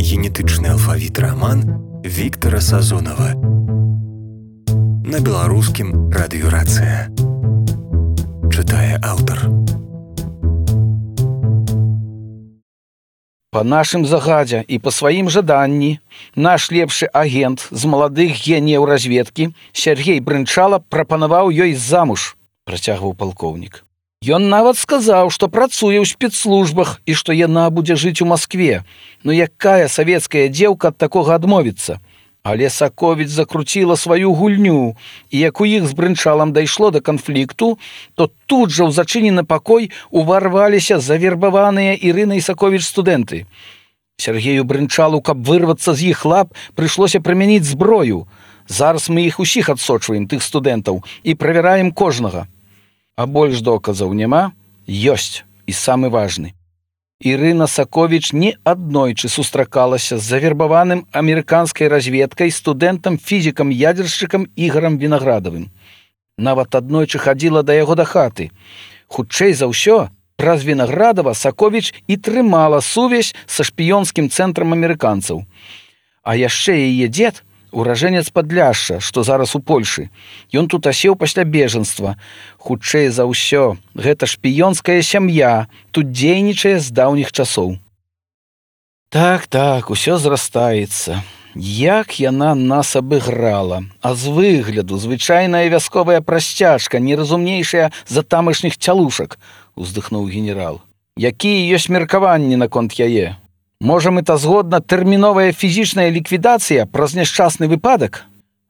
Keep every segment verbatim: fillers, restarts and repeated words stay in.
генетычны алфавіт раман Віктара Сазонава. На беларускім радыёрацыя. Чытае аўтар. Па нашым загадзе і па сваім жаданні наш лепшы агент з маладых геніяў разведкі Сергей Брынчала прапанаваў ёй замуж, працягваў палкоўнік. Ён нават сказаў, што працуе ў спецслужбах і што яна будзе жыць у Маскве. Ну якая савецкая дзеўка ад такога адмовіцца? Але Саковіч закруціла сваю гульню, і як у іх з Брынчалам дайшло да канфлікту, то тут жа ў зачынены пакой уварваліся завербаваныя Ірынай Саковіч студэнты. Сергею Брынчалу, каб вырвацца з іх лап, прыйшлося прымяніць зброю. Зараз мы іх усіх адсочваем, тых студэнтаў, і правяраем кожнага. А больш доказаў няма? Ёсць, і самы важны. Ірына Саковіч не аднойчы сустракалася з завербаваным амерыканскай разведкай студэнтам-фізікам-ядзершчыкам Ігорам Вінаградавым. Нават аднойчы хадзіла да яго да хаты. Хутчэй за ўсё, праз Вінаградава Саковіч і трымала сувязь са шпіёнскім цэнтрам амерыканцаў. А яшчэ яе дзед, уражэнец Падляшша, што зараз у Польшы. Ён тут асеў пасля бежанства. Хутчэй за ўсё, гэта шпіёнская сям'я, тут дзейнічае з даўніх часоў. Так, так, усё зрастаецца. Як яна нас абыграла. А з выгляду звычайная вясковая прасцяжка, неразумнейшая за тамашніх цялушак, уздыхнуў генерал. Якія ёсць меркаванні наконт яе? Можа, мэтазгодна тэрміновая фізічная ліквідацыя праз няшчасны выпадак?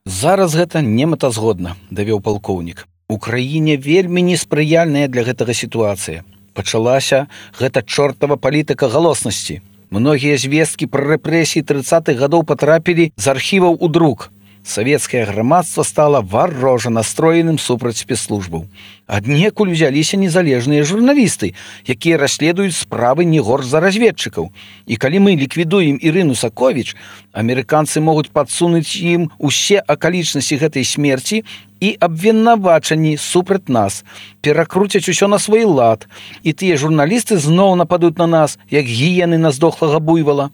Зараз гэта не мэтазгодна, давёў палкоўнік. У краіне вельмі неспрыяльная для гэтага сітуацыя. Пачалася гэта чортава палітыка галоснасці. Многія звесткі пра рэпрэсіі трыццатых гадоў патрапілі з архіваў у друк. Савецкае грамадства стала варожа настроеным супраць спецслужбаў. Аднекуль узяліся незалежныя журналісты, якія расследуюць справы не горш за разведчыкаў. І калі мы ліквідуем Ірыну Саковіч, амерыканцы могуць падсунуць ім усе акалічнасці гэтай смерці і абвінавачанні супраць нас, перакруцяць усё на свой лад, і тыя журналісты зноў нападуць на нас, як гіены на здохлага буйвала.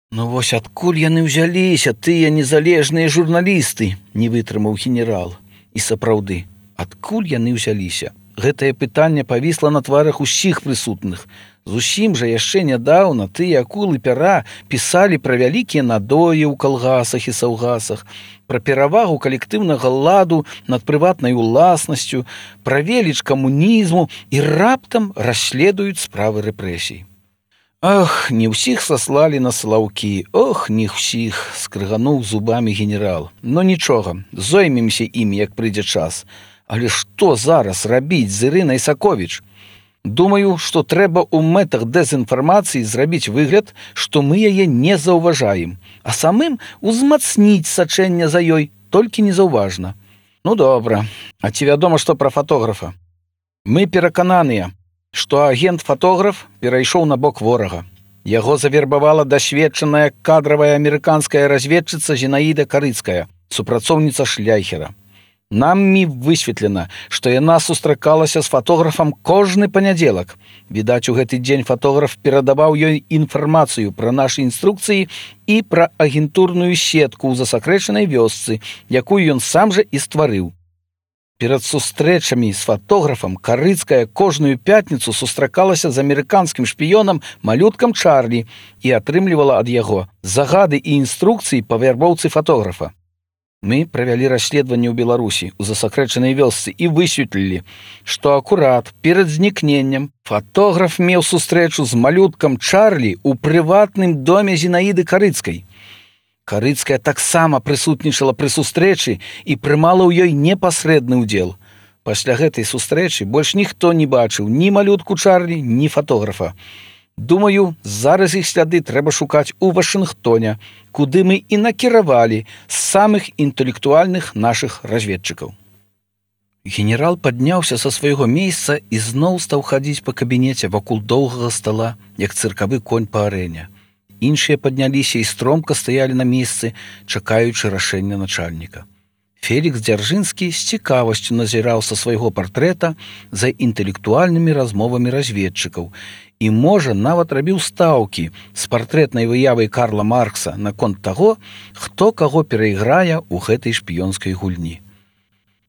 Ну вось адкуль яны ўзяліся, тыя незалежныя журналісты, не вытрымаў генерал. І сапраўды, адкуль яны ўзяліся? Гэтае пытанне павісла на тварах усіх прысутных. Зусім жа яшчэ нядаўна тыя акулы пяра пісалі пра вялікія надоі ў калгасах і саўгасах, пра перавагу калектыўнага ладу над прыватнай уласнасцю, пра веліч камунізму і раптам расследуюць справы рэпрэсій. Ах, не ўсіх саслалі на салаўкі, ох, не ўсіх, скрыгануў зубамі генерал. Но нічога, зоймемся імі, як прыйдзе час. Але што зараз рабіць з Ірынай Саковіч? Думаю, што трэба ў мэтах дэзінфармацыі зрабіць выгляд, што мы яе не заўважаем, а самым узмацніць сачэнне за ёй, толькі незаўважна. Ну добра, а ці вядома, што пра фатографа? Мы перакананыя, што агент-фатограф перайшоў на бок ворага. Яго завербавала дасведчаная кадравая амерыканская разведчыца Зінаіда Карыцкая, супрацоўніца Шляйхера. Намі высветлена, што яна сустракалася з фатографам кожны панядзелак. Відаць, у гэты дзень фатограф перадаваў ёй інфармацыю пра нашы інструкцыі і пра агентурную сетку ў засакрэчанай вёсцы, якую ён сам жа і стварыў. Перад сустрэчамі з фатографам Карыцкая кожную пятніцу сустракалася з амерыканскім шпіёнам малюткам Чарлі і атрымлівала ад яго загады і інструкцыі па вярбоўцы фатографа. Мы правялі расследаванне ў Беларусі ў засакрэчанай вёсцы і высветлілі, што акурат перад знікненнем фатограф меў сустрэчу з малюткам Чарлі ў прыватным доме Зінаіды Карыцкай. Карыцкая таксама прысутнічала пры сустрэчы і прымала ў ёй непасрэдны ўдзел. Пасля гэтай сустрэчы больш ніхто не бачыў ні малютку Чарлі, ні фатографа. Думаю, зараз іх сляды трэба шукаць у Вашынгтоне, куды мы і накіравалі з самых інтэлектуальных нашых разведчыкаў. Генерал падняўся са свайго месца і зноў стаў хадзіць па кабінеце вакол доўгага стала, як цыркавы конь па арэне. Іншыя падняліся і стромка стаялі на месцы, чакаючы рашэння начальніка. Фелікс Дзяржынскі з цікавасцю назіраў са свайго партрэта за інтэлектуальнымі размовамі разведчыкаў і, можа, нават рабіў стаўкі з партрэтнай выявай Карла Маркса наконт таго, хто каго перайграе ў гэтай шпіёнскай гульні.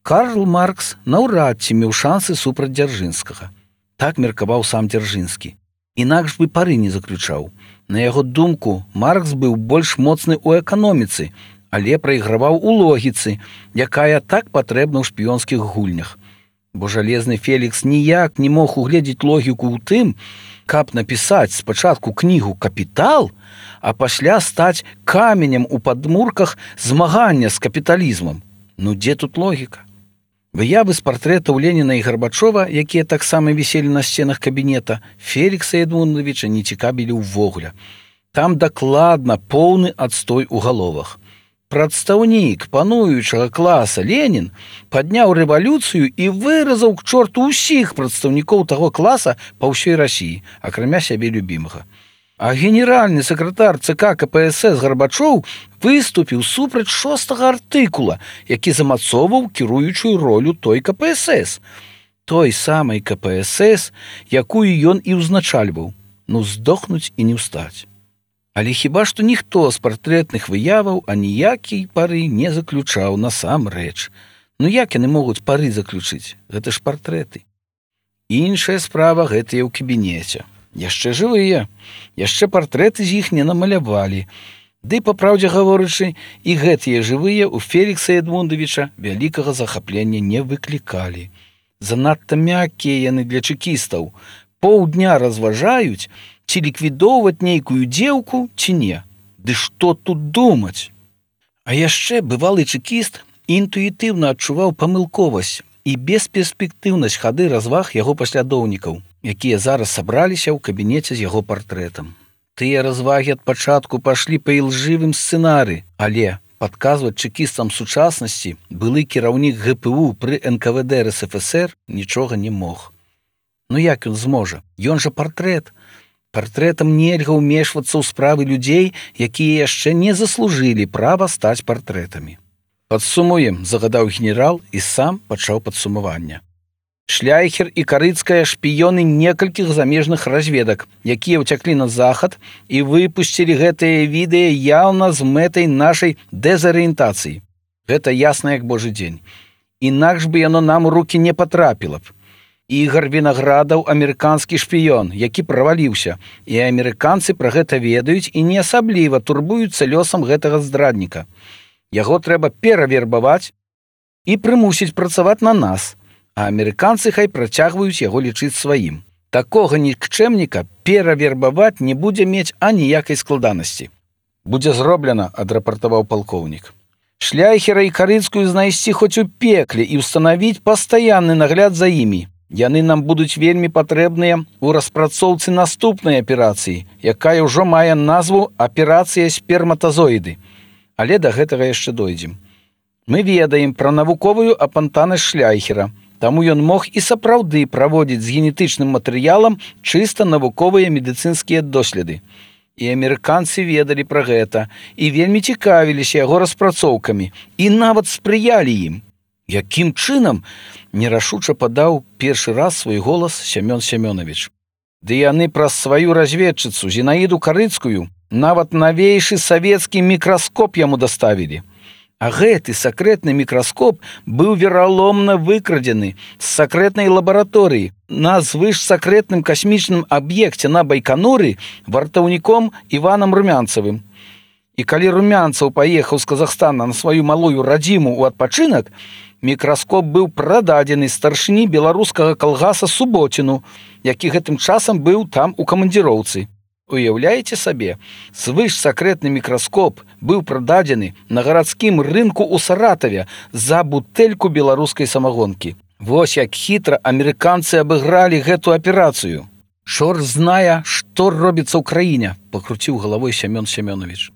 Карл Маркс наўрад ці меў шансы супраць Дзяржынскага. Так меркаваў сам Дзяржынскі. Інакш бы пары не заключаў. На яго думку, Маркс быў больш моцны ў эканоміцы, але прайграваў у логіцы, якая так патрэбна ў шпіёнскіх гульнях. Бо жалезны Фелікс ніяк не мог угледзець логіку ў тым, каб напісаць спачатку кнігу «Капітал», а пасля стаць каменем у падмурках змагання з капіталізмам. Ну дзе тут логіка? Выявы з партрэтаў Леніна і Гарбачова, якія таксама віселі на сценах кабінета, Фелікса Эдмундавіча не цікавілі ўвогуле. Там дакладна поўны адстой у галовах. Прадстаўнік пануючага класа Ленін падняў рэвалюцыю і выразаў к чорту ўсіх прадстаўнікоў таго класа па ўсёй Расіі, акрамя сябе любімага. А генеральны сакратар ЦК КПСС Гарбачоў выступіў супраць шостага артыкула, які замацоўваў кіруючую ролю той КПСС. Той самай КПСС, якую ён і ўзначальваў. Ну, здохнуць і не ўстаць. Але хіба што ніхто з партрэтных выяваў аніякай пары не заключаў насамрэч. Ну як яны могуць пары заключыць? Гэта ж партрэты. Іншая справа гэтыя ў кабінеце. Яшчэ жывыя, яшчэ партрэты з іх не намалявалі. Ды, па праўдзе гаворачы, і гэтыя жывыя ў Фелікса Эдмундавіча вялікага захаплення не выклікалі. Занадта мяккія яны для чэкістаў. Паўдня разважаюць, ці ліквідоўваць нейкую дзеўку, ці не. Ды што тут думаць? А яшчэ бывалы чэкіст інтуітыўна адчуваў памылковасць і бесперспектыўнасць хады разваг яго паслядоўнікаў, якія зараз сабраліся ў кабінеце з яго партрэтам. Тыя развагі ад пачатку пашлі па ілжывым сцэнары, але падказваць чэкістам сучаснасці былы кіраўнік ГПУ пры эн ка вэ дэ эр эс эф эс эр нічога не мог. Ну як ён зможа? Ён жа партрэт. Партрэтам нельга ўмешвацца ў справы людзей, якія яшчэ не заслужылі права стаць партрэтамі. Падсумуем, загадаў генерал і сам пачаў падсумаванне. Шляйхер і Карыцкая шпіёны некалькіх замежных разведак, якія ўцяклі на захад і выпусцілі гэтыя відэа яўна з мэтай нашай дэзарыентацыі. Гэта ясна як божы дзень. Інакш бы яно нам у рукі не патрапіла б. Ігар Вінаградаў амерыканскі шпіён, які праваліўся, і амерыканцы пра гэта ведаюць і не асабліва турбуюцца лёсам гэтага здрадніка. Яго трэба перавербаваць і прымусіць працаваць на нас, а амерыканцы хай працягваюць яго лічыць сваім. Такога нікчэмніка перавербаваць не будзе мець аніякай складанасці. Будзе зроблена, адрапартаваў палкоўнік. Шляйхера і Карыцкую знайсці хоць у пекле і ўстанавіць пастаянны нагляд за імі. Яны нам будуць вельмі патрэбныя ў распрацоўцы наступнай аперацыі, якая ўжо мае назву «Аперацыя сперматазоіды». Але да гэтага яшчэ дойдзем. Мы ведаем пра навуковую апантанасць Шляйхера, таму ён мог і сапраўды праводзіць з генетычным матэрыялам чыста навуковыя медыцынскія доследы. І амерыканцы ведалі пра гэта, і вельмі цікавіліся яго распрацоўкамі, і нават спрыялі ім. Якім чынам, нерашуча падаў першы раз свой голас Сямён Сямёнавіч. Ды яны праз сваю разведчыцу Зінаіду Карыцкую нават навейшы савецкі мікраскоп яму даставілі. А гэты сакрэтны мікраскоп быў вераломна выкрадзены з сакрэтнай лабараторыі на звышсакрэтным касмічным аб'екце на Байконуры вартаўніком Іванам Румянцавым. І калі Румянцаў паехаў з Казахстана на сваю малую радзіму ў адпачынак, мікраскоп быў прададзены старшыні беларускага калгаса Суботіну, які гэтым часам быў там у камандзіроўцы. Уяўляеце сабе, звышсакрэтны мікраскоп быў прададзены на гарадскім рынку ў Саратаве за бутэльку беларускай самагонкі. Вось як хітра амерыканцы абыгралі гэту аперацыю. Чорт знае, што робіцца ў краіне, пакруціў галавой Сямён Сямёнавіч.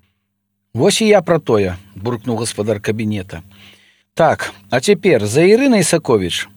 Вось і я пра тое, буркнуў гаспадар кабінета. Так, а цяпер за Ірынай Саковіч.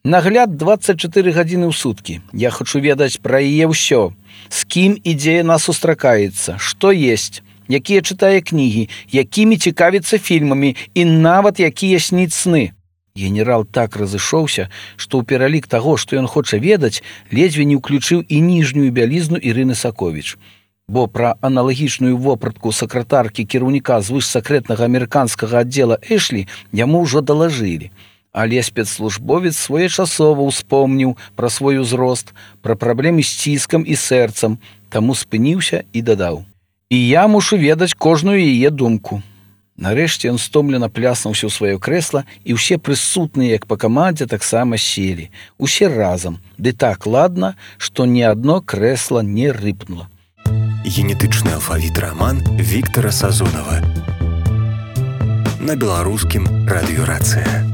Нагляд дваццаць чатыры гадзіны ў суткі. Я хачу ведаць пра яе ўсё. З кім і дзе яна сустракаецца, што есць, якія чытае кнігі, якімі цікавіцца фільмамі і нават якія сніць сны. Генерал так разышоўся, што ў пералік таго, што ён хоча ведаць, ледзьве не ўключыў і ніжнюю бялізну Ірыны Саковіч. Бо пра аналагічную вопратку сакратаркі кіраўніка звышсакрэтнага амерыканскага аддзела Эшлі яму ўжо далажылі. Але спецслужбовец своечасова ўспомніў пра свой узрост, пра праблемы з ціскам і сэрцам, таму спыніўся і дадаў: «І я мушу ведаць кожную яе думку». Нарэшце ён стомлена пляснуўся ў сваё крэсла, і ўсе прысутныя, як па камандзе, таксама селі. Усе разам, ды так ладна, што ні адно крэсла не рыпнула. Генетычны алфавіт раман Віктара Сазонава. На беларускім радыёрацыя.